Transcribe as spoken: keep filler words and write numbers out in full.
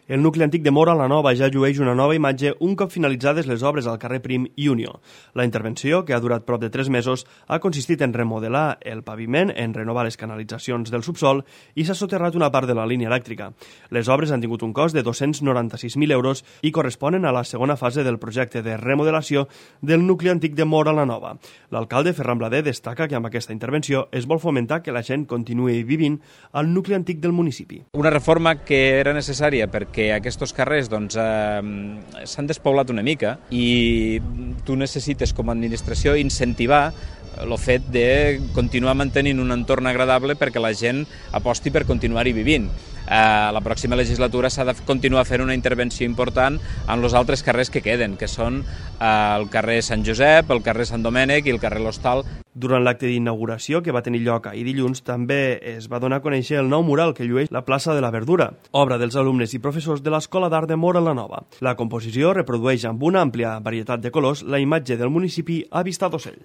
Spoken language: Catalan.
El nucli antic de Móra la Nova ja llueix una nova imatge un cop finalitzades les obres al carrer Prim i Unió. La intervenció, que ha durat prop de tres mesos, ha consistit en remodelar el paviment, en renovar les canalitzacions del subsol i s'ha soterrat una part de la línia elèctrica. Les obres han tingut un cost de dos-cents noranta-sis mil euros i corresponen a la segona fase del projecte de remodelació del nucli antic de Móra la Nova. L'alcalde Ferran Blader destaca que amb aquesta intervenció es vol fomentar que la gent continuï vivint al nucli antic del municipi. Una reforma que era necessària perquè que aquests carrers doncs, eh, s'han despoblat una mica i tu necessites com a administració incentivar el fet de continuar mantenint un entorn agradable perquè la gent aposti per continuar-hi vivint. A la pròxima legislatura s'ha de continuar fent una intervenció important en els altres carrers que queden, que són el carrer Sant Josep, el carrer Sant Domènec i el carrer L'Hostal. Durant l'acte d'inauguració, que va tenir lloc ahir dilluns, també es va donar a conèixer el nou mural que llueix la plaça de la Verdura, obra dels alumnes i professors de l'Escola d'Art de Móra la Nova. La composició reprodueix amb una àmplia varietat de colors la imatge del municipi a vista d'ocell.